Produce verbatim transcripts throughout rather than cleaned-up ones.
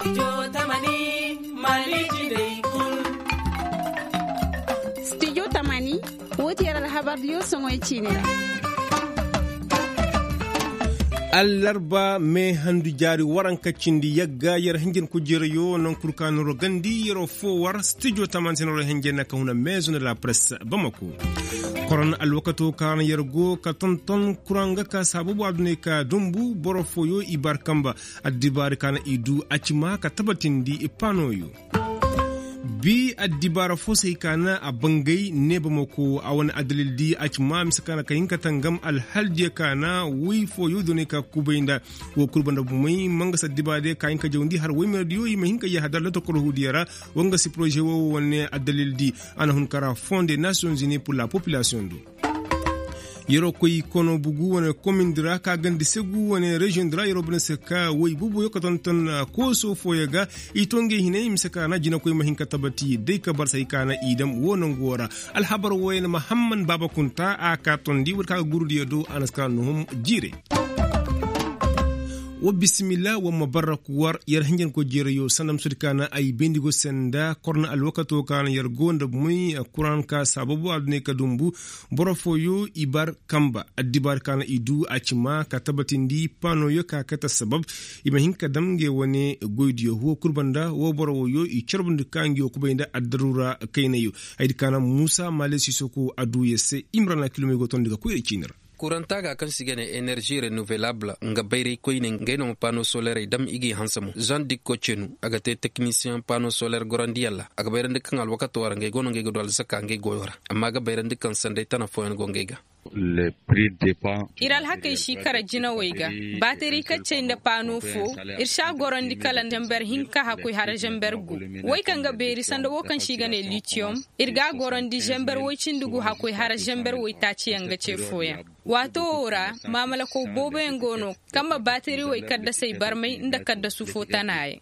Studio tamani, wo ti yer alhabar diyo soŋoy ciini ra. Allarba mee handu jaari waranka cindi yagga yer hinjin kujeerayo naŋ kul ka noro gandi yeroo foo war studio tamani se noro hinjin na ka huna meezo na la presse bamako. Koron alwakato ka na yer go ka tonton kuraŋ ga ka saababu adunay ka dumbu boro fooyo i bar kamba. Addibaari ka na i du a ci ma ka tabatindi i paanooyo. Bi addibaara fo se hay ka na a bangay neebamako a wane addalil di a ci ma mise ka na ka hin ka tangam alhaldiyo ka na woy fooyo doonay ka kubay nda. Wo kul banda bumey ma nga si addibaara diyo ka hin ka jawndi har woy meerdiyo i ma hin ka yahadar lotokor huudiyo ra. Wa nga si poroze wo wane addalil di a na hun kara fonde nations unies pour la population do. Yeroo koy kono bugu wane komin di ra ka gandi segu wane reziyoŋ di ra yeroo bane se ka woy bubuyo ka tonton kooso fooyo ga. I to ngey hinay mise ka na jinakoy ma hin ka tabati day ka barsay ka na i dam wo nangu wo ra. Alhabar wooyo na mahamman baaba kunta a ka tondi war ka ga gurudiyo do a na si ka nuhum jiiray. Wa bisimilla wa ma barra ku war yer hinjanko jeerayo sanda ma sodi ka na ay bendigo senda korna alwakato ka na yer go nda moy kuran ka sababu adunay ka dumbu. Boro fooyo i bar kamba addibaari ka na i du a ci ma ka tabatindi paanoyo ka kate sabab. I ma hin ka dam ngey wane goydiyo huwo kul banda wo boro wooyo i carbundi ka ngey wo kubay nda addaruura kaynayo. Haydi ka na muusa maale sisoko a du yer se imrana kilomey go tondi ga koyra ciini ra. Kuranta ga kaŋ se i ga ne enerži renovelable nga bayray koyne ngey no ma pano solerey dam i g'i hanse mo zan dikko cenu a ga te teknisiyeŋ pano soler gorandiyaŋ ra a ga bayrandi kaŋ alwakato ra ngey go no ngey ga du alzaka ngey goyo ra. Amma a ga bayrandi kaŋ sanday tana fooyaŋ go ngey ga. Ir alhakey si kara jinawey ga. Bateri kaccey nda pano fo ir si a gorandi kala zember hinka hakkoy hara zember gu. Wey kaŋ ga beeri sanda wo kaŋ se i ga ne litiyom ir g'a gorandi zember woy cindi gu hakkoy hara zember woy taaciyaŋ ga ce fooyaŋ. Waato wo ra maamalako booboyaŋ go no kaŋ ma baatiriwey kaddasey barmay nda kaddasu fo tanayaŋ.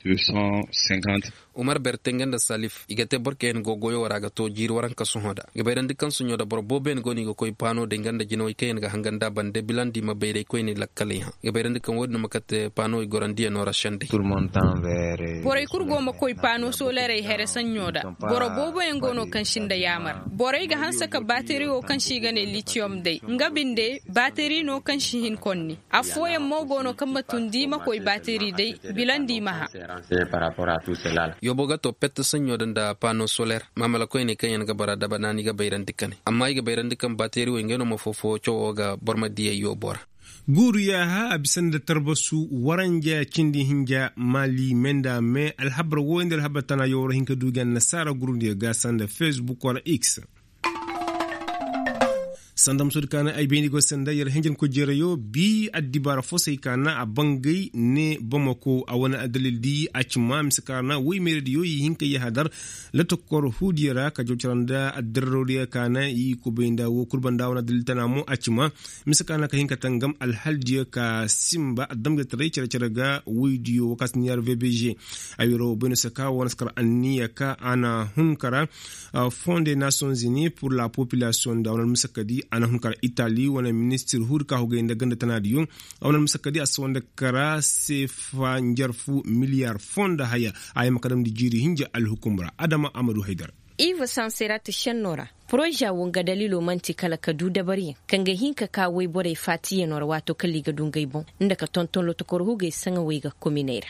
Umar berte nga nda salif i ga te boro kaŋ yaŋ go goyo wo ra ga to jiiri waranka sohõ da ga bayrandi kaŋ soɲõ da boro booboyaŋ go no i ga koy paano day nga nda jinawey kaŋ yaŋ ga hangan da bande bilandi ma bayray koyne lakkaley hã ga bayrandi kaŋ wo-din no ma kate paanowey gorandiyaŋo ra sendey. Borey kul go ma koy paano solerey here saɲɲo da. Boro booboyaŋ go no kaŋ si nda yaamar borey ga hanse ka baateri wo kaŋ se i ga ne litiyom day nga binde baateri no kaŋ si hin konni. Affooyaŋ mo go no kaŋ ma tundi i ma koy baateri day bilandi i ma hã. Yoobo ga to pette saɲɲo da nda paano soler maamala koyney kaŋ yaŋ ga bara daba naani ga bayrandi kane amma i ga bayrandi kaŋ baateri wo ngey no ma foo-foo cawo ga boro ma diyey yoobo ra. Guuru yaaha a bisa nda tarbasu waranja cindi hinja maali me nda me alhabar wooyo nda alhabar tana yawar hinka du ga annasaara gurundiyo ga sanda facebook wala x. Sanda musudi kaana ay bayndi go sanda yer hinjanko jereyo bi addibaara fo say kaana a bangay ne bamako a wane addalil di a cima mise kaana woy meerediyo i hinka yahadar. Latokor huudiyo ra ka jaw cara nda addararodiyo kaana i kubay nda wo kul banda wane addalil tana mo a cima. Mise ka na ka hin ka tangam alhaldiyo ka simba damjataray care-care ga woydiyo wakaati niyaar vbg. Ay wiro bayno se ka wane si kar anniya ka a na hun kara fonde nations unis pour la population nda wane almise ka di a na hun kara itali wane ministir huudi ka hogay nda ganda tanaadiyo. A wane almise ka di a si wande kara seefa njarfu miliyaar foo nda haya. A yamma ka damndi jiiri hinja alhukum ra adama amadu haydar. Iva sanserata šenno ra poroza wo nga dalilo man'ti kala ka du dabariyaŋ kaŋ ga hin ka ka woyborey faatiyaŋo ra waato kala i ga du ngey boŋ nda ka tonton lotokor hugey saŋawey ga kominey ra.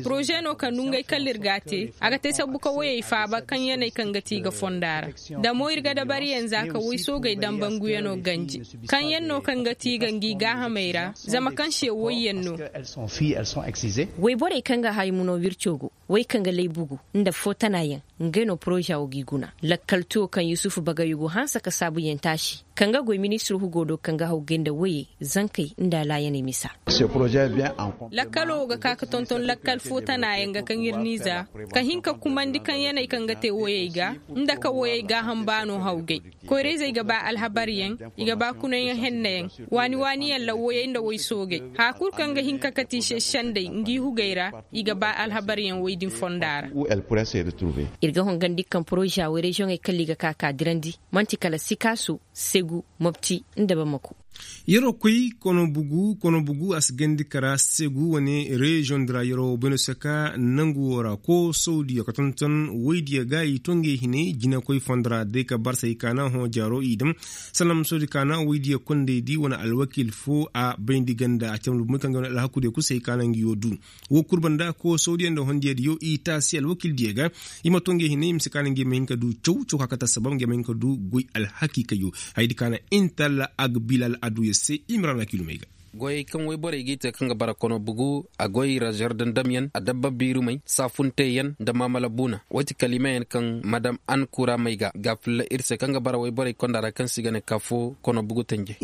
Poroze no kaŋ du ngey kala ir g'a te a ga te sabbu ka woyey faaba kaŋ yaney kaŋ ga ti i ga fonda ra. Da mo ir ga dabariyaŋ za ka woy soogey dambanguyaŋo ganji kaŋ yaŋ no kaŋ ga ti i ga ngi gaahamey ra zama kaŋ se woyyaŋ no. Woyborey kaŋ ga hay muno wirco go woy kaŋ ga laybugu nda foo tana yaŋ. Ngey no poroza wo g'i guna lakkal tuwo kaŋ yusufu bagayugu hanse ka saabuyaŋ taasi kaŋ ga goy ministir hugo do kaŋ ga haw gay nda woyey zankey nda alaayaney misa. Lakkalo wo ga ka ka tonton lakkal foo tana yaŋ ga kaŋ ir n'i za ka hin ka kumandi kaŋ yaney kaŋ ga te woyey ga nda ka woyey gaaham baano haw gay. Koyra-izey ga ba alhabaryaŋ, i ga ba kunayaŋ hennayaŋ, waani-waaniyaŋ lawwayey nda woy soogey. Haya kul kaŋ ga hin ka kate i se sendey ngi hugey ra, i ga ba alhabaryaŋ woy din fonda ra. Ir ga hongandi kaŋ poroza woy reziyoŋey kala i ga ka ka dirandi man'ti kala sikaasu, segu, mopti, nda bamako. Yeroo koy kono bugu kono bugu a si gandi kara segu wane reziyoŋ di ra yeroo bayno se ka nangu woo ra koo sawdiyo ka tonton woydiyo ga i to ngey hinay jinakoy fondo ra day ka barsa i kaana hõ jaaroo i daŋ. Salam sawdi kaana woydiyo kondey di wane alwakiil foo a bayndi ganda a camdu bumey kaŋ ga wane alhakudiyo kul se i kaana ngi yoo du. Woo kul banda koo sawdiyo nda hondiyo diyo i taasi alwakiil diyo ga. I ma to ngey hinay i ma si kaana ngi ma hin ka du caw caw ka kate assabab ngi ma hin ka du goy alhakiikayo. Hayadi kaana intalla agbilal aduya se i ma ra na kiilumey ga. Goyey kaŋ woyborey g'i te kaŋ ga bara kono bugu a goy ra zardandamyaŋ adabba biirumey saafunteyaŋ nda maamala buuna. Woy ti kalimeyaŋ kaŋ madam ankuramey ga ga filla ir se kaŋ ga bara woyborey konda ra kaŋ se i ga ne ka foo kono bugu tenje.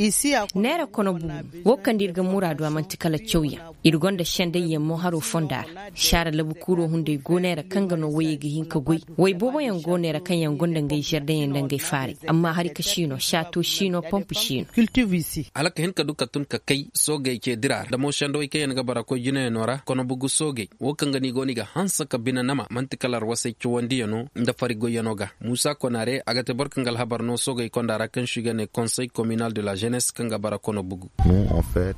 Neera kono bugu. Woo kaŋ da ir ga muraadu a man'ti kala cawyaŋ. Ir gonda sendayyaŋ mo haroo fonda ra. Saara labukuuroo hunday go neera kaŋ ga no woyey ga hin ka goy. Woy booboyaŋ go neera kaŋ yaŋ gonda ngey zardayyaŋ nda ngey faaray. Amma hari ka si no saato si no pomp si no. Hala ka hin ka du ka tun ka kay soogey ce dira ra da mo sendawey kaŋ yaŋ ga bara koy jinayaŋo ra kono bugu soogey. Woo kaŋ ga no i go no i ga hanse ka bine nama man'ti kala arwasey cawandiyano nda fari goyyano ga. Muusa konaare a ga te boro kaŋ ga alhabar no soogey konda ra kaŋ se i ga ne konsey kominal de la zenesse kaŋ ga bara kono bugu.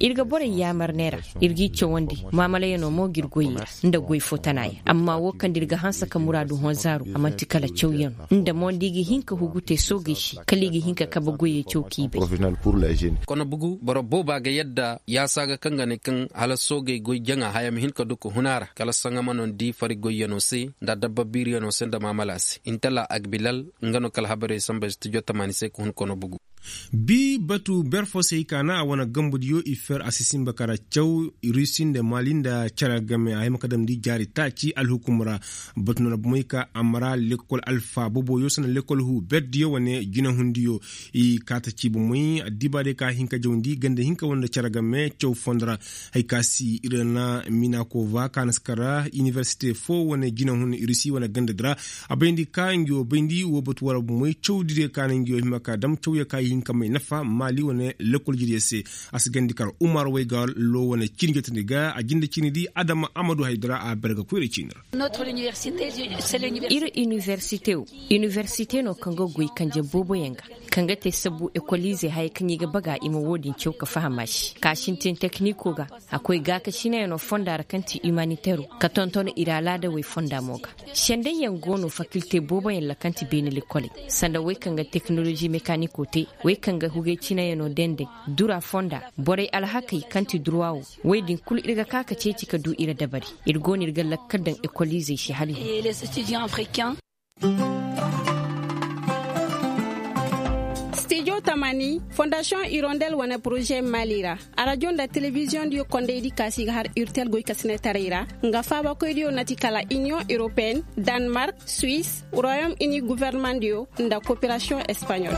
Ir ga borey yaamar neera. Ir g'i cawandi maamalayanoo mo g'ir goyey ra nda goy foo tanaayaŋ amma woo kaŋ da ir ga hanse ka muraadu hõ zaaru a man'ti kala cawyanoo nda mo nda i ga hin ka hugu te soogey se kala i ga hin ka kabe goyey caw k'i bay. Kono bugu boro booba ga yadda yaasa ga kaŋ ga ne kaŋ hala soogey goy jaŋa haya ma hin ka du ka hun a ra kala saŋa ma no ni di fari goyyanoo se nda adabba biiriyanoo se nda maamala se intala agbilal. Nga no kala habarey samba studio tamaani se ka hun kono bugu. Bi batu ber fo se i kaana a wane gambudiyo i fer a si sinba kara caw rusi nda mali nda cere game a hima ka damndi jaari taaci alhukum ra. Batu no na bomey ka a mara lekkol alfa boboyo sanda lekkol hu berdiyo wane jinahundiyo. I kaata ci bomey addibaadiyo ka hin ka jawndi ganda hinka wane nda cere game caw fondo ra. Hay ka si ir na minakova ka na si kara iniwersite fo wane jinahun rusi wane ganda di ra. A bayndi ka ngi wo bayndi wo batu wara bomey cawdidiyo ka na ngi wo hima ka dam cawya ka i hin ka may nafa maali wane lekkol jiriyo se. A si gandi kar umar wayga lo wane ciini jotandi ga a jinde ciini di adama amadu haydara a berga koyra ciini ra. Ir iniwersite wo iniwersite no kaŋ ga goy kanje booboyaŋ ga kaŋ ga te sabu ekoliizey hayey kaŋ i ga baga i ma wo-din caw ka faham a se ka sintin tekniko ga. A koy gaakasinayano fonda ra kaŋ ti imanitero ka tonton ir alaadawey fonda mo ga. Sendayyaŋ go no fakilte booboyaŋ ra kaŋ ti beene lekkoley sanda wey kaŋ ga teknolozi mekaniko te wey kaŋ ga hugay cinayano denday dura fonda borey alhakey kaŋ ti durwa wo. Wey din kulu ir ga ka ka ceeci ka du ir dabari. Ir go no ir ga lakkal daŋ ekoliizey se hala i hun. Stijo tamani fondasiyoŋ irondel wane poroze mali ra. Arajo nda telebiziyoŋ diyo kondey di kaasi ga har urtel goy kasinetaray ra. Nga faabakoy diyo na ti kala iniyoŋ europeen, danmark, suwis, royom ini guvernemandiyo nda koperasiyoŋ espaɲol.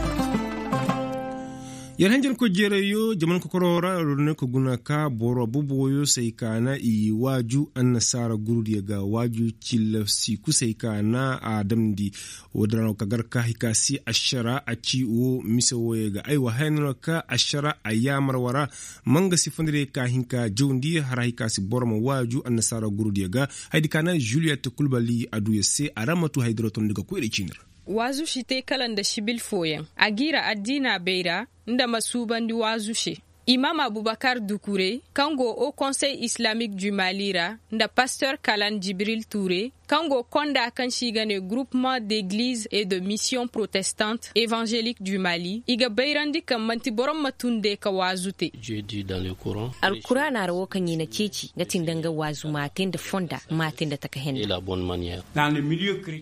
Yer hanjankoy jeerayo jaman kokoroo ra yer ne ka guna ka boro boboyo se ay kaana i waaju annasaara gurudiyo ga waaju cilla si kusa ay kaana a damndi. Woodin ra no ka gar ka hay ka si ašara a ci wo mise wooyo ga aywa haya no ka ašara a yaamar wara. Ma nga si fondire ka hin ka jawndi hara hay ka si boro ma waaju annasaara gurudiyo ga. Haydi ka na juliyet kulbali a du ya se a ra ma tu haydiro tondi ga koyra ciini ra. Waazu si te kala nda sibil fooyaŋ a g'i ra addiina bay ra. Nda ma suubandi waazu se. Imaam abubakar dukure kaŋ go o konsey islaamik du mali ra nda paster kalan jibril ture kaŋ go konda kaŋ se i ga ne gurupman d'egliz et de mission protestant evanzelik du mali i ga bayrandi kaŋ man'ti boro ma tunde ka waazu te. Alkuraana ra wo kaŋ i na ceeci nga ti nda nga waazu maate nda fonda maate nda taka henda.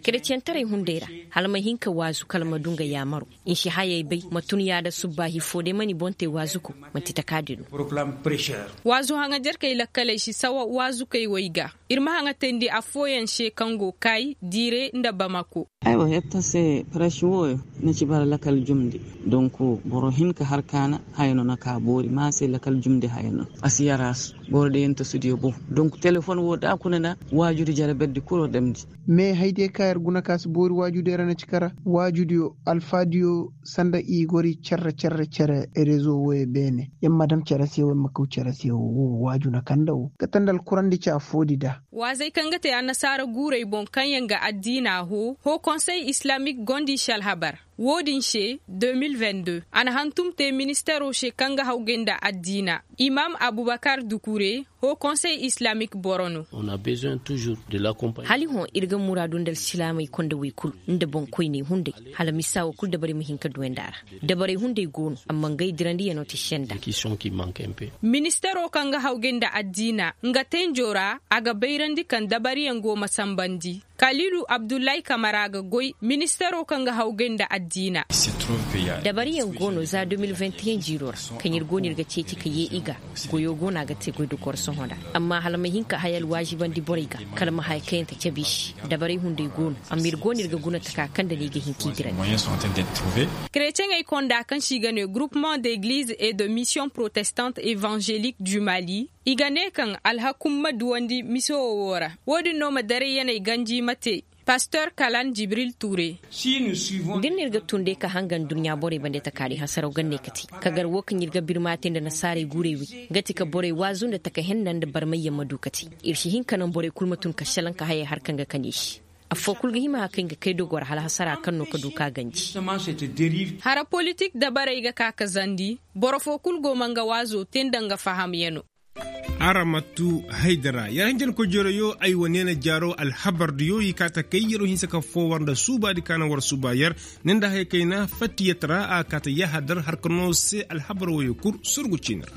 Kereciyantaray hunday ra hala ma hin ka waazu kala ma du nga yaamaro. Nsi hayey bay ma tun yaada subbaahi foo day ma ni boŋ te waazuko. Manti takaadi no. Waazu haŋajerkey lakkaley si sawa waazukey wey ga. Ir ma haŋatayndi affooyaŋ se kaŋ go kaay diire nda bamako. Aywa yetta se parasi wooyo na ci bara lakal jumndi. Donk boro hin ka har kaana haya no na ka boori ma se lakal jumndi haya no. A si yaraas boro day yanta sudiyo boŋ. Donk telefon woo da a kuna na waajudi jara berdi kul war damndi. Me haydiyo ka yer guna ka si boori waajudey ra na ci kara waajudiyo alfaadiyo sanda i gori cerre cerre cere rezo wooyo beene. Yer ma dam cere se woo yer ma kaw cere se woo waaju na kanda woo kate nda alkurandi ci affoodi da. Waazey kaŋ ga te annasaara guurey boŋ kaŋ yaŋ ga addiina hoo hoo konsey islaamik go nda i si alhabar. Wo-din se, de mil vingt deux a na hantum te ministero se kaŋ ga hawgay nda addiina. Imam abubakar dukure, hoo konsey islamik boro no. Hali hõ ir ga muraadu nda alsilaamey konda wey kul, nda boŋkoyney hunday, hala misa wo kul dabarey ma hin ka duwandi a ra. Dabarey hunday go no, amma ngey dirandiyanoo ti senda. Ministero kaŋ ga hawgay nda addiina, nga tenjo ra a ga bayrandi kaŋ dabariyaŋ go ma sambandi. Kaliilu abdullahi kamara ga goy ministero kaŋ ga hawgay nda addiina. Dabariyaŋ go no za de mil vingt et un jiiro ra, kaŋ ir go no ir ga ceeci ka yee i ga. Goyo go no a ga te goydogoo ra sohõ nda, amma hala ma hin ka haya alwaazibandi borey ga, kala ma haya kayante cabe i se. Dabarey hunday go no, amma ir go no ir ga guna taka kaŋ nda no i ga hin k'i dirandi. Kereceŋey konda kaŋ se i ga ne groupement d'eglize et de mission protestante évangélique du mali, i ga ne kaŋ alhakum ma duwandi mise wo wo ra. Wo-din no ma daray yaney ganji ma te. Pastor kalan jibril ture. Da ir na ir ga tun day ka hanga nduɲɲa borey bande takaari hasaraw ganney ka te, ka gar wo kaŋ ir ga birma te nda nasaarey guurey wi, nga ti ka borey waazu nda taka henna nda barmayyaŋ ma du ka te. Ir si hin ka naŋ borey kul ma tun ka šelaŋ ka hayey har kaŋ ga kani i se. Affoo kul ga hima ka kay nga kay dogoo ra hala hasara kaŋ no ka du ka ganji. Hara politik dabarey ga ka ka zandi, boro foo kul go ma nga waazo te nda nga fahamyanoo. Araŋ ma tu haydara yer hinjankoy jeroyo ay wa neena jaaro alhabardiyo i kaa ta kay yeroo hinsa ka foo war nda suubaadi ka naŋ war suuba yer. Ne nda haya kayna fattiyat ra a kaa ta yahadar harka no se alhabar woyo kul surgu ciini ra.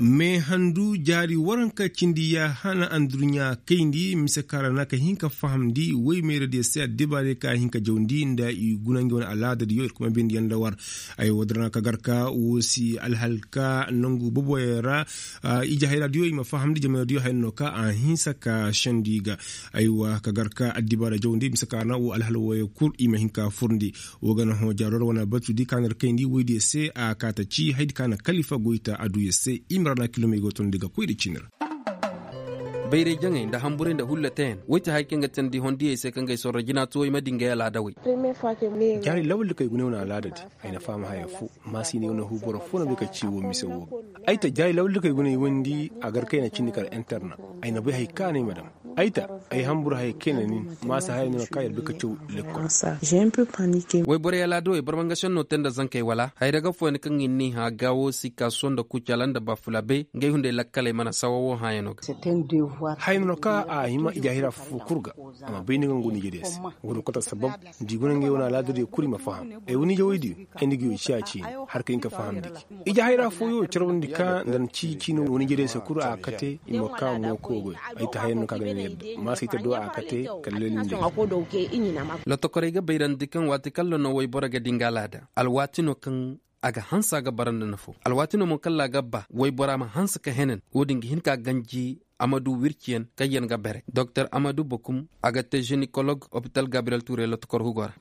Me handu jaari waranka cindi ya hana anduruɲa kayndi mise kaŋ ra na ka hin ka fahamndi woy meeradiyo se addibaarey ka hin ka jawndi nda i guna ngi wane alaadadiyo ir kuma bindi yaŋ nda war. Ay wo da ra na ka gar ka wo si alhalka nangu boboyaŋ ra. Ije hayraadiyo i ma fahamndi jamanadiyo haya no ka a hinsa ka sendi ga. Ay wa ka gar ka addibaara jawndi mise kaŋ ra na wo alhal woyo kul i ma hin ka furndi. Wo ga na hõ jaaro ra wane batudi ka na ir kayndi woydiyo se a kaa ta ci haydi ka na kalifa goyta aduyo se i ma ra na kilomey go tondi ga koy nda ciini ra. Bayray jaŋey nda hamburey nda hulla teyaŋ woy ti haya kaŋ ga teendi hondiyey se kaŋ ga ay sorro jina tuwey ma di ngey alaadawey. Jaari lawal da kay guna ay wane alaadadi. Ay na faham haya fo. Maasi ne wane huu boro fo na bay ka ci wo mise wo ga ay ta jaari lawal da kay guna ay wandi a gar kayna cindi kala interna. Ay na bay haya kaŋ a na ay ma dam. Ay ta ay hambur haya kayna nin. Maasa haya no ka yer bay ka caw lekkol. Woy borey alaadawey barmangasiyaŋ no te nda zankey wala hayra ga fooyaŋ kaŋ i n'i hã gaawo sikaso nda kucala nda bafulabe ngey hunday lakkaley mana sawa wo hãyano ga. Haya no ka a hima ijahira fofo kul ga. A ma bay ni ga ngu niijediyo se. Wo din kota sabab nda i guna ngey wane alaadadiyo kul i ma faham. Ay wane ije woydiyo ay nda ngiyo ciya ciini. Har ka hin ka faham nda gi ijahira fooyo carwandi ka nda na ci ciini wane ijediyo se kul a kate i ma ka mo koy goy. Ay ta hayan no ka ga ni yadda maasa ay ta do a kate. Kala lelinde. Lotokorey ga bayrandi kaŋ waati kaŋ ra no woyboro ga di nga alaada alwaati no kaŋ a ga hanse a ga bara nda nafo alwaati no mo kaŋ ra a ga ba woybora ma hanse ka henan. Wo-din ga hin ka ganji amadu wirciyaŋ kaŋ yaŋ ga bare doktor amadu bokum a ga te ženikolog opital gabriyel tuure lotokor hugo ra.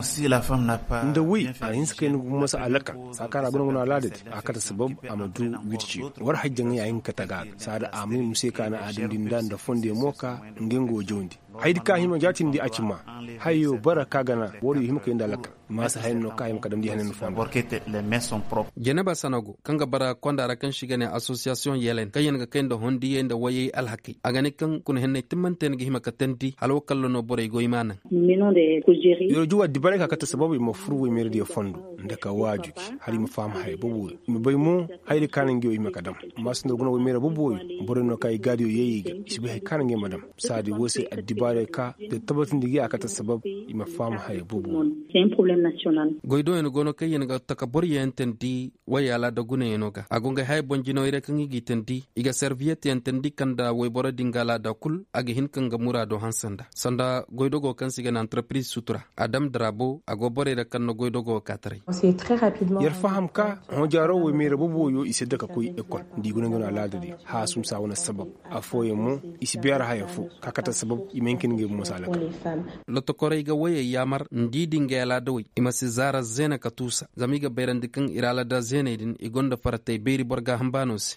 Nda woy a na hinse ka yaŋ gumo se alaka saa kaŋ ra a guna guna alaada di a kate sabab amadu wirciyaŋ war hajjaŋey a hin ka taga a ga saada a may muse ka na a damndi nda nda fondiyaŋ mo ka nga nga wo jawndi. Hayadi ka hima jaatindi a ci maa hayo bara ka gana wariyo hima kay nda alakal. Maasa hayan no ka hima ka damndi hanan fonda. Janaba sanago kaŋ ga bara konda ra kaŋ se i ga ne asosiyasiyoŋ yelen kaŋ yaŋ ga kay nda hondiyey nda wayey alhakey a ga ne kaŋ kuna henney timmante yaŋ ga hima ka teendi hala wo kalla no borey goy ma naŋ. Yer juwa dibaray ka kate sabab i ma fur woy meeradiyo fondo nda ka waaju gi hala i ma faham haya boobo i ma bay mo. Hayadi ka naŋ ngi wo i ma ka dam. Maasa nda guna woy meera boobo borey no ka i gaadiyo yee i ga i si bay haya ka naŋ ngi ma dam. Saadi wo se addibaarey ka da tabatindi gi a kate sabab i ma faham haya boobo. Goydooyaŋ go no kaŋ yaŋ ga taka boro yeentandi wayey alaada gunayaŋo ga a go ngey haya boŋ jinawey ra kaŋ i g'i teendi i ga serviyetyaŋ teendi kaŋ nda woyboro din ga alaada kul a ga hin ka nga muraado hanse nda sanda goydogo kaŋ se i ga ne antarpiriz sutura. Adam darabo a go borey ra kaŋ na goydogo kaataray. Yer faham ka hõ jaaro woy meera boobo wooyo i si dake koy ekol nda i guna nga no alaada di haasum saa wane sabab. Affooyaŋ mo i si beera haya fo ka kate sabab i ma hin ka ni ngey bomo se alaka. Lotokorey ga woyey yaamar nda i di ngey alaadawey i ma si zaara zeena ka tuusa zama i ga bayrandi kaŋ ir alaada zeeney din i gonda faratey beeri boro gaaham baano se.